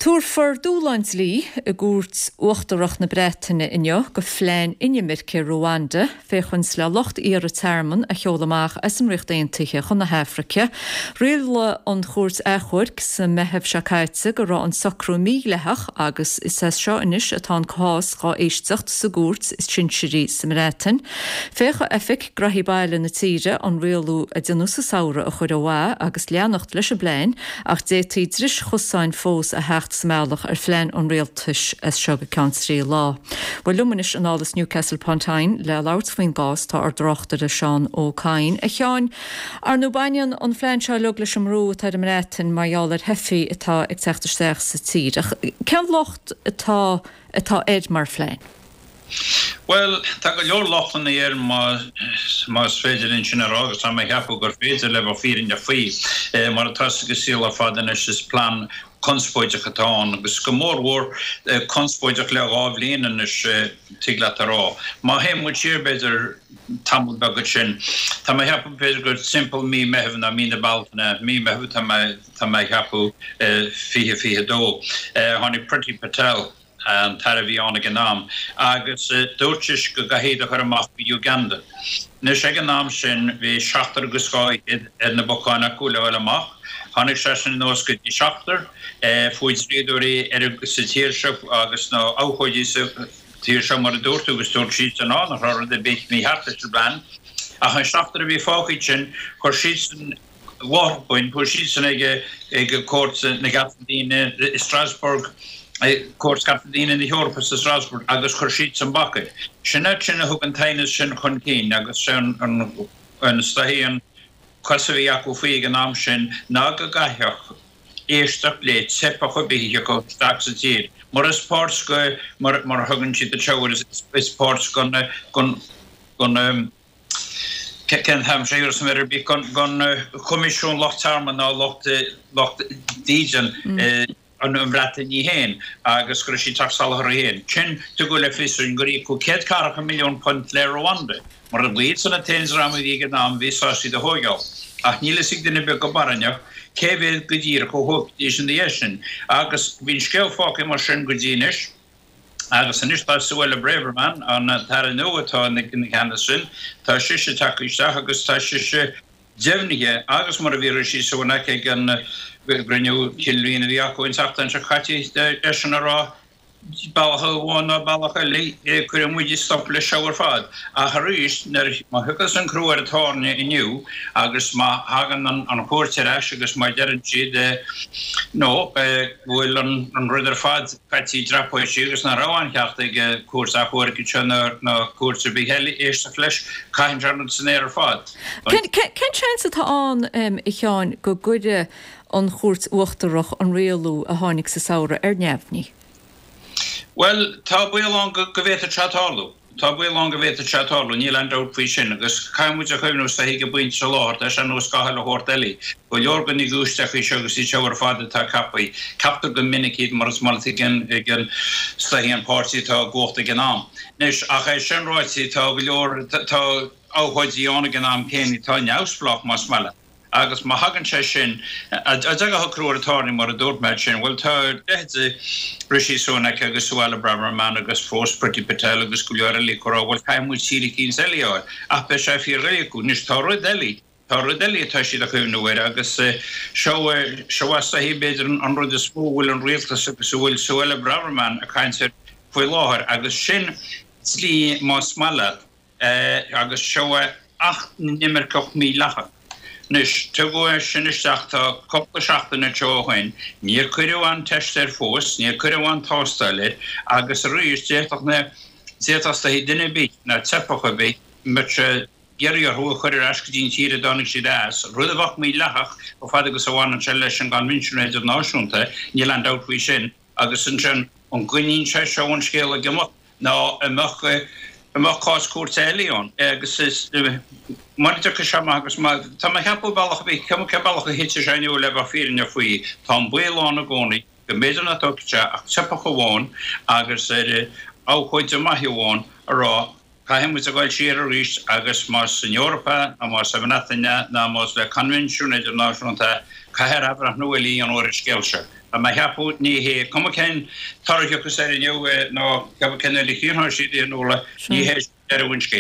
Tabharfar dúshlán dlí i gCúirt Uachtarach na Breataine inniu go phlean inimirce Ruanda féachaint le lucht iarraidh tearmann a sheoladh amach as an Ríocht Aontaithe chun na hAfraice. Rialaigh an Chúirt Achomhairc sa Meitheamh seo caite go raibh an socrú mídhleathach agus is as seo anois atá an cás dhá éisteacht sa gcúirt is sinsearaí sa mBreatain. Féachfaidh Oifig Graithí Baile na tíre an rialú a déanadh sa samhradh a chur ó mhaith agus leanacht leis an bplean ach d'fhéadfaí dris chosáin fós a theacht sa mbealach ar phlean an rialtais as seo go ceann 3 lá. Bhuel liom anois anall as Newcastle upon Tyne le labhairt faoin gcás tá ár dtráchtaire Seán Ó Cadhain. A Sheáin, ar ndóigh baineann an phlean seo uilig leis an mbrú atá ar an mBreatain mar gheall ar theifigh atá ag teacht isteach sa tír. Ach cén locht atá atá air mar phlean? Bhuel, tá go leor lochtanna air más féidir linn sin a rá agus tá mé a cheapadh gur féidir le bheith fírinneach faoi. Mar atá sa saol ar fad anois is plean conspóideach atá ann agus go mórmhór conspóideach le 2 bhliain anois tig leat a rá. Má théann muid siar b'fhéidir tamall beag ansin, tá mé a cheapadh b'fhéidir gur timpeall mí Meitheamh nó mí na Bealtaine, mí Meitheamh tá mé tá mé a cheapadh 2022, tháinig Priti Patel, an t-aire a bhí ann ag an am, agus dúirt sise go gcaithfí iad a chur amach go Uganda. Anois, ag an am sin, bhí seachtar agus dhá fhichead ar na bacáin acu le fháil amach. Tháinig sé sin anuas go dtí seachtar. Fuair dlíodóirí ar sa tír seo agus na abhcóidí sa tír seo, mar a dúirt tú, agus dúirt siadsan, á, nach raibh rud ar bith mícheart leis an bplean. Ach an seachtar a bhí fágtha ansin, chuir siadsan, láithreach bonn, chuaigh siadsan ag Cúirt na gCearta Daonna i Strasbourg, Cúirt Cearta Daonna na hEorpa sa Strasbourg agus chuir siadsan bac air. Sin iad sin a thug an t-aighneas sin chun cinn agus sé an is dóichí an cás a bhí acu faoi ag an am sin ná go gcaithfeadh éisteacht le teifeach ar bith a thiocfadh isteach sa tír mar is páirt go mar a thugann siad anseo is páirt gon gon Cén t-ainm sé ar son ar bith gon Choimisiún Lucht Tearmainn ná lucht lucht dídean an Bhreatain í féin agus go raibh sí ag teacht salach orthu féin. Sin tugadh le fios dúinn gur íocadh £140 milliún le Rwanda mar ba iadsan an t-aon dream a bhí ag an am a bhí sásta iad a thóigeáil. Ach níl fhios ag duine ar bith go barainneach cé mhéad go díreach a thógfaidís ina dhiaidh sin. Agus bhí an scéal fágtha mar sin go dtí anois. Agus anois tá Suella Braverman, an t-aire nua atá ina ceannas sin, tá sise tagtha isteach agus tá sise deimhnithe agus mar a bhí Rishi Sunak ag an gcruinniú Cinn Bhliana a bhí acu an tseachtain seo caite, eisean a rá, bealach amháin nó bealach eile, cuirfidh muid stop leis seo ar fad. Ach arís, nuair, má thiocfas an crú ar an tairne inniu agus má thagann an chúirt ar ais agus má deireann siad no, go bhfuil an rud ar fad caite i dtrapóisí agus nach raibh aon cheart ag cúirt achomhairc anseo ná cúirt ar bith eile éisteacht leis, caitheann sé an rud san aer ar fad. Cén seans atá ann, a Sheáin, go gcuirfidh an Chúirt Uachtarach an rialú a tháinig sa samhradh ar neamhní? Bhuel, tá baol ann go bhféadfadh sé tarlú. Tá baol ann go bhféadfadh sé tarlú, níl aon dabht faoi sin, agus caithfidh muid a chuimhniú is dóichí ag an bpointe seo i láthair, tá sé ar nós gach uile shórt eile. Go leor de na giúistiseachaí seo agus iad seo ar fad atá ceaptha, ceaptar go minic iad mar is maith ag an, ag an, is dóichí an páirtí atá i gcumhacht ag an am. Anois, ach é sin ráite, tá go leor, tá abhcóidí ann ag an am céanna atá neamhspleách, más maith leat. Agus má thagann sé sin, a dtagann socrú ar an tairne, mar a dúirt mé ansin, bhuel, tá leithéidí Rishi Sunak agus Suella Braverman agus fós Priti Patel agus go leor eile ag rá, bhuel, caithfidh muid tír eicínt eile a fháil. Ach beidh sé fíordhoiligh acu. Anois, tá rud eile, tá rud eile atá siad a chuimhniú air agus seo, seo is dóichí, b'fhéidir, an rud is mó a bhfuil an rialtas agus a bhfuil Suella Braverman ag caint air faoi láthair agus sin dlí, más maith leat, agus seo é Acht na nImirceach Mídhleathach. Anois, tugadh é sin isteach tá cúpla seachtain anseo ó shoin, níor cuireadh aon teist air fós, níor cuireadh aon tástáil air, agus arís, d'fhéadfadh na, d'fhéadfadh is dóichí duine ar bith, ná teifeach ar bith, mbeadh sé ag iarraidh orthu a chur ar ais go dtí an tír a dtáinig siad as, rud a bheadh mídhleathach, chomh fada agus a bhaineann sé leis an gCoinbhinsiún Idirnáisiúnta, níl aon dabht faoi sin. Agus ansin, an gcoinníonn sé seo an scéal ag imeacht nó an mbeadh, an mbeadh cás cúirte eile ann? Agus is, mura dtiocfaidh sé amach agus má, tá mé a cheapadh bealach ar bith, cuma cén bealach a thitfidh sé inniu le bheith fírinneach faoi, tá an baol ann i gcónaí go mb'fhéidir nach dtógfaidh sé ach teifeach amháin agus ar abhcóide maith amháin a rá, Caithfidh muid a ghoil siar arís agus más san Eoraip é, nó más sa mBreatain é, nó más le coinbhinsiún idirnáisiúnta é, caithfear athbhreithniú eile a dhéanamh ar an scéal seo. Tá mé a cheapadh, ní hé, cuma cén toradh a thiocfas air inniu nó cuma cén uair a chríochnóidh siad é a Nuala, ní hé sin deireadh an scéil.